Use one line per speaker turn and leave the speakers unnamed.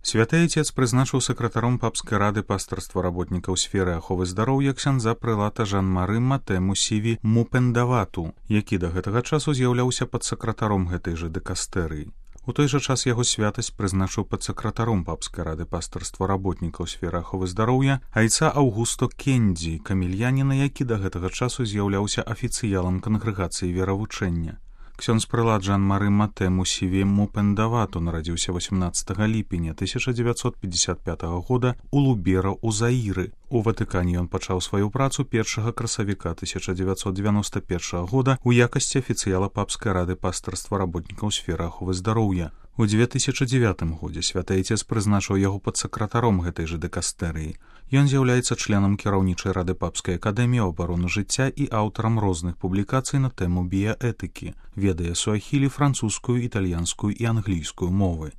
Святы Отец прызначыў сакратаром папскай рады пастарства работнікаў сферы аховы здароўя ксяндза прэлата Жан-Мары Матэ Мусіві Мупендавату, які да гэтага часу з'яўляўся падсакратаром гэтай жа дыкастэрыі. У той жа час яго святасць прызначыў падсакратаром папскай рады пастарства работнікаў сферы аховы здароўя айца Аўгусто Кендзі, камільяніна, які да гэтага часу з'яўляўся афіцыялам кангрэгацыі веравучэння. Ксёндз-прэлат Жан-Мары Матэ Мусіві Мупендавату нарадзіўся 18 ліпеня 1955 года у Лубера ў Заіры. У Ватыкане ён пачаў сваю працу 1 красавіка 1991 года ў якасці афіцыяла папскай рады пастарства работнікаў сферы аховы здароўя. У 2009 годзе святы Отец прызначыў яго падсакратаром гэтай жа дыкастэрыі. Ён з'яўляецца членам кіраўнічай рады папскай акадэміі абароны жыцця і аўтарам розных публікацый на тэму біяэтыкі, ведае суахілі, французскую, італьянскую і англійскую мовы.